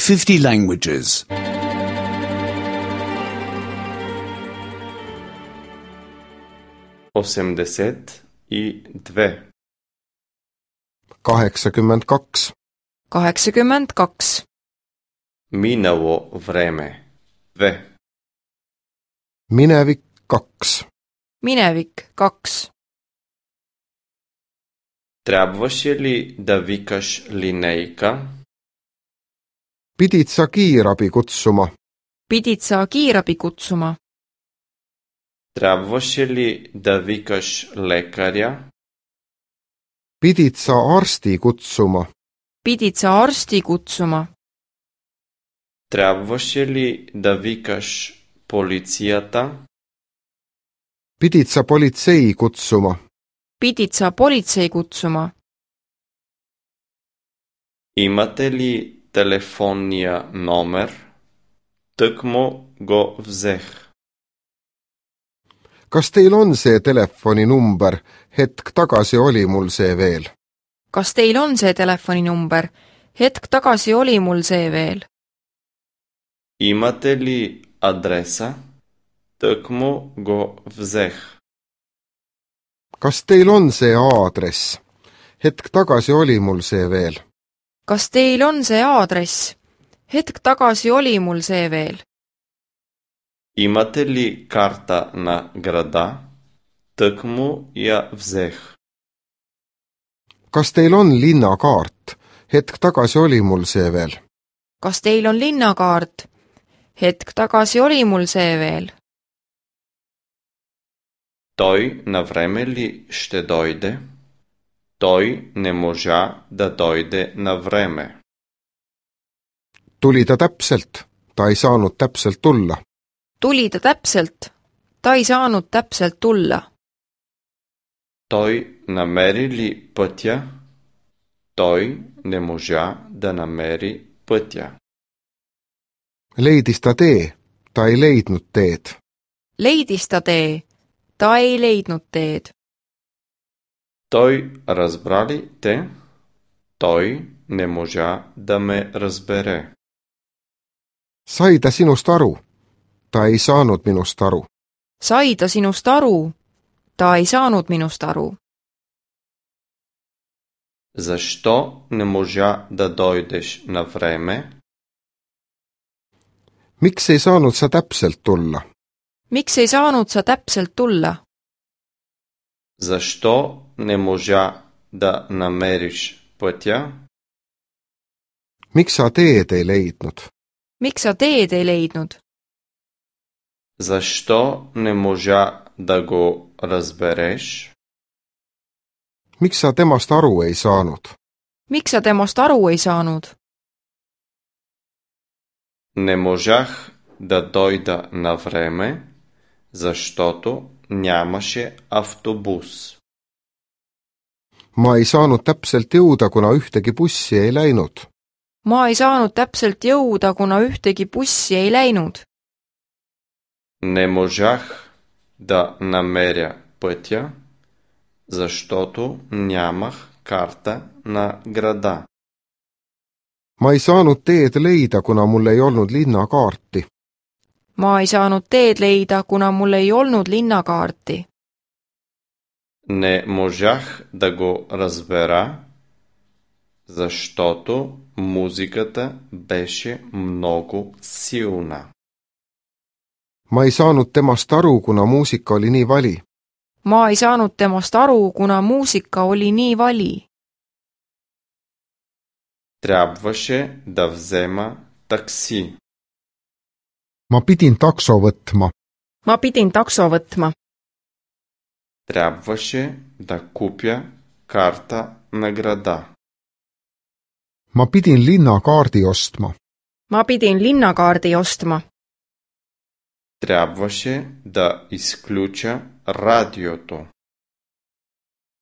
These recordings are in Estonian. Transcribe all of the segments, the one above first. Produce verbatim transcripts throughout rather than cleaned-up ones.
fifty languages. osemdeset i dve. kaheksakümmend kaks. kaheksakümmend kaks. Minalo vreme. Dve. Minevik kaks. Minevik kaks. Трябваше ли да викаш линейка? Pidid sa kiirabi kutsuma? Pidid sa kiirabi kutsuma? Трябваше ли да викаш лекаря? Pidid sa arsti kutsuma? Pidid sa arsti kutsuma? Трябваше ли да викаш полицията? Pidid sa politsei kutsuma? Pidid sa politsei kutsuma? Имате ли телефонния номер? Тъкмо го взех. Kas teil on see telefoninumber? Hetk tagasi oli mul see veel. Kas teil on see telefoninumber? Hetk tagasi oli mul see veel. Имате ли адреса? Тъкмо го взех. Kas teil on see aadress? Hetk tagasi oli mul see veel. Kas teil on see aadress? Hetk tagasi oli mul see veel. Имате ли карта на града? Тъкмо я взех. Kas teil on linnakaart? Hetk tagasi oli mul see veel. Kas teil on linnakaart? Hetk tagasi oli mul see veel. Той навреме ли ще дойде? Той не можа да дойде навреме. Tuli ta täpselt? Ta ei saanud täpselt tulla. Tuli ta täpselt? Ta ei saanud täpselt tulla. Той намери ли пътя? Той не можа да намери пътя. Leidis ta tee? Ta ei leidnud teed. Leidis ta tee? Ta ei leidnud teed. Той разбра ли те? Той не можа да ме разбере. Sai ta sinust aru? Ta ei saanud minust aru. Sai ta sinust aru? Ta ei saanud minust aru. Защо не можа да дойдеш на време? Miks ei saanud sa täpselt tulla? Miks ei saanud sa täpselt tulla? Защо не можа да намериш пътя? Miks sa teed ei leidnud? Miks sa teed ei leidnud? Защо не можа да го разбереш? Miks sa temast aru ei saanud? Miks sa temast aru ei saanud? Не можах да дойда на време, защото нямаше автобус. Ma ei saanud täpselt jõuda, kuna ühtegi bussi ei läinud. Ma ei saanud täpselt jõuda, kuna ühtegi bussi ei läinud. Не можах да намеря пътя, защото нямах карта на града. Ma ei saanud teed leida, kuna mul ei olnud linnakaarti. Ma ei saanud teed leida, kuna mul ei olnud linnakaarti. Не можах да го разбера, защото музиката беше много силна. Ma ei saanud temast aru, kuna muusika oli nii vali. Ma ei saanud temast aru, kuna muusika oli nii vali. Трябваше да взема такси. Ma pidin takso võtma. Ma pidin takso võtma. Трябваше да купя карта на града. Ma pidin linnakaardi ostma. Ma pidin linnakaardi ostma. Трябваше да изключа радиото.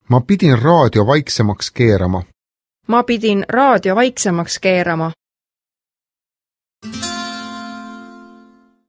Ma pidin raadio vaiksemaks keerama. Ma pidin raadio vaiksemaks keerama.